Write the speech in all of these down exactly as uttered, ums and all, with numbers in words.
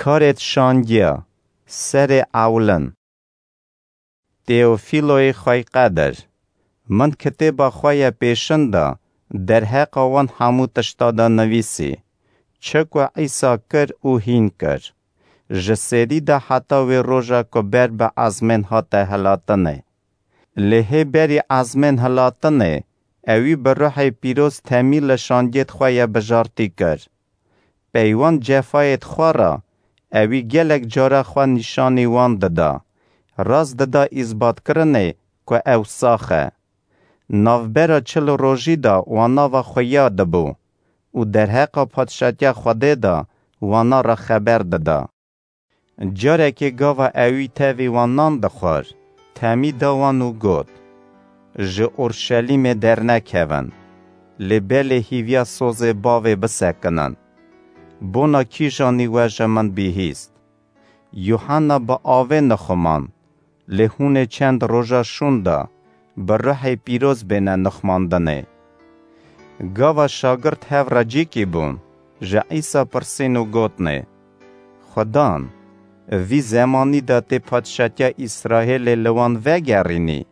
Karêt şangiya, serê ewlin. Teofîloyê xweyqedir, min kitêba xwe ye pêşin de derheqa wan hemû tişta de nivîsî, çi ku Îsa kir û hîn kir, ji serî de heta wê roja ku ber bi ezmên hate hilatinê. Lê hê berî ezmên hilatinê, ewî bi ruhê pîroz temî li şangêt xwe ye bijartî kir. Peywan cefayêt xwe re, ewî gelek cara xwe nîşanî wan dida, rast dida îzbatkirinê ku ew sax e. Navbera çil rojî de wana ve xuya dibû û derheqa padşatiya Xwedê de wana re xeber dida. Carekê gava ewî tevî wan nan dixwar, temî da wan û got, Ji Orşelîmê dernekevin, lê belê hîviya sozê bavê bisekinin. Bona kîjanî we ji min bihîst. Yuhanna bi avê nixumand, lê hûn ê çend roja şûn de bi ruhê pîroz bêne nixmandinê. Gava şagirt hev re cîkî bûn, ji Îsa pirsîn û gotnê, Xudan, vî zemanî de tê padşatiya Îsraêlê li wan vegerînî?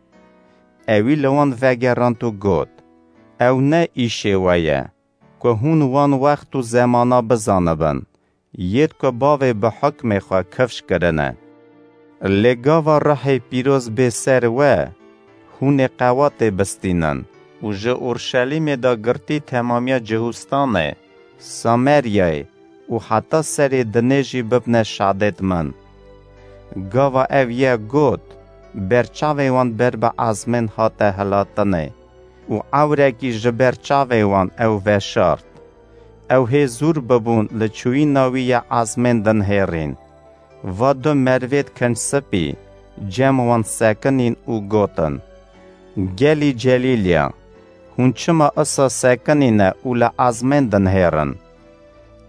Ewî li wan vegerand û got, Ew ne îşê we ye, ku hûn wan wext û zemana bizanibin, yêd ku bavê bi hukmê xwe kifş kirine. Lê gava ruhê pîroz bê ser we, hûn ê qewatê bistînin û ji Orşelîmê de girtî temamiya Cihûstanê, Sameryayê û heta serê dinê jî bibne şadêt min. Gava ev ye got, berçavê wan ber bi ezmên hate hilatinê û ewrekî ji ber çavê wan ew veşart. Ew hê zûr bibûn li çûyîna wî ye ezmên dinhêrîn. Va du merivêt kincspî cem wan sekinîn û gotin, Gelî Celîlya, hûn çima isa sekinîne û li ezmên dinhêrin?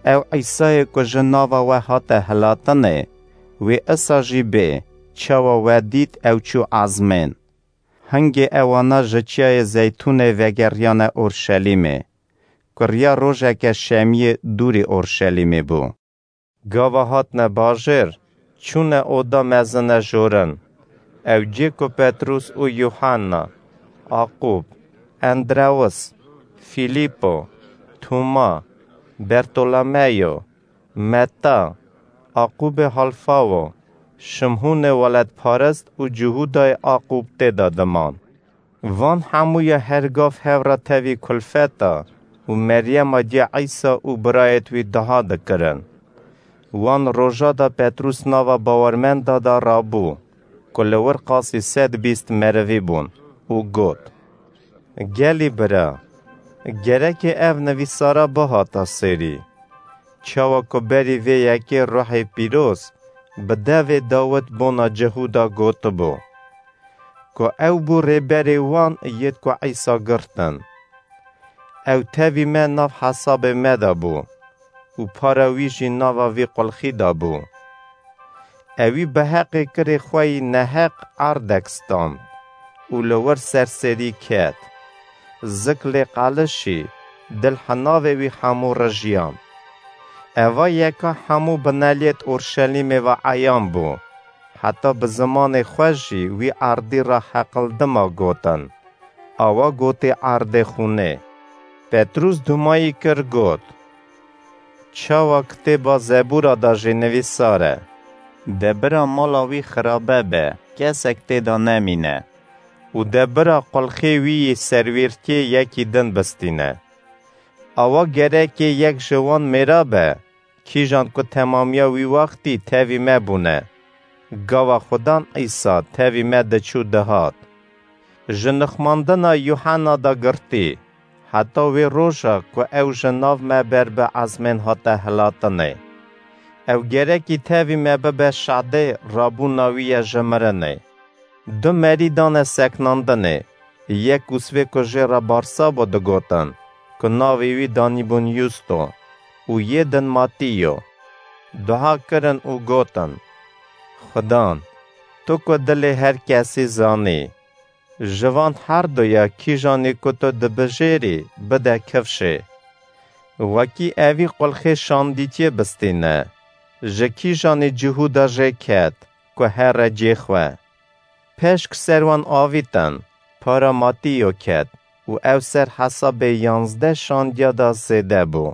Ew Îsayê ku ji nava we hate hilatinê, wê isa jî bê, çawa we dît ew çû ezmên. Hingê ewana ji Çiyayê Zeytûnê vegeriyane Orşelîmê, ku riya rojeke şemiyê dûrî Orşelîmê bû. Gava hatine bajêr, çûne oda mezine jorin. Ew cê ku Petrûs û Yuhanna, Aqûb, Endrewis, Fîlîpo, Tûma, Bertolemeyo, Metta, Aqûbê Halfawo, Şimhûnê welatparist û Cihûdayê Aqûb tê de diman. Van hemûya her gav hev re tevî kulfeta û Meryema cê Îsa û birayêt wî duha dikirin. Wan roja de Petrûs nava bawermenda de rabû, ku li wir qasî sed bîst merivî bûn û got, Gelî bira, gerekê ev nivîsara bihata sêrî. Çawa ku berî vê yekê ruhê pîroz bi devê Dawid bona Cihûda gotibû, ku ew bû rêberê wan yêd ku Îsa girtin. Ew tevî me nav hesabê me de bû û para wî jî nava vî qulxî de bû. Ewî bi heqê kirê xwe yî neheq erdek stand û li wir serserî ket. Zik lê qelişî, dil hinavê wî hemû rijiyan. Eva yeka hemû bineliyêt Orşelîmê ve eyan bû. Heta bi zimanê xwe jî wî erdî re heqildima gotin. Awa gotê erdê xûnê. Petrûs dumayî kir got, Çawa kitêba Zebûra de jî nivîsar e, De bira mala wî xirabe be, kesek tê de nemîne û de bira qulxê wî yî serwîrtiyê yekî din bistîne. Awa gerekê yek ji wan mêra be, kîjan ku temamiya wî wextî tevî me bûne. Gava Xudan Îsa tevî me diçû dihat. Ji nixmandina Yuhanna de girtî, heta wê roja ku ew ji nav me ber bi ezmên hate hilatinê. Ew gerekî tevî me bibe şadê rabûna wî ye ji mirinê. Du merî dane seknandinê, yek Ûsvê ku jê re Barsabo digotin, ku navê wî danîbûn Yusto, û yê din Matîyo. Duha kirin û gotin, Xudan, tu ku dilê her kesî zanî, ji van her duya kîjanî ku tu dibijêrî bide kifşê. Wekî evî qulxê şandîtiyê bistîne. ji kîjanê cihû de jê ket ku here cê xwe. Peşk ser wan avîtin, para Matîyo ket û ew ser hesabê yanzdeh şandiya de zêde bû.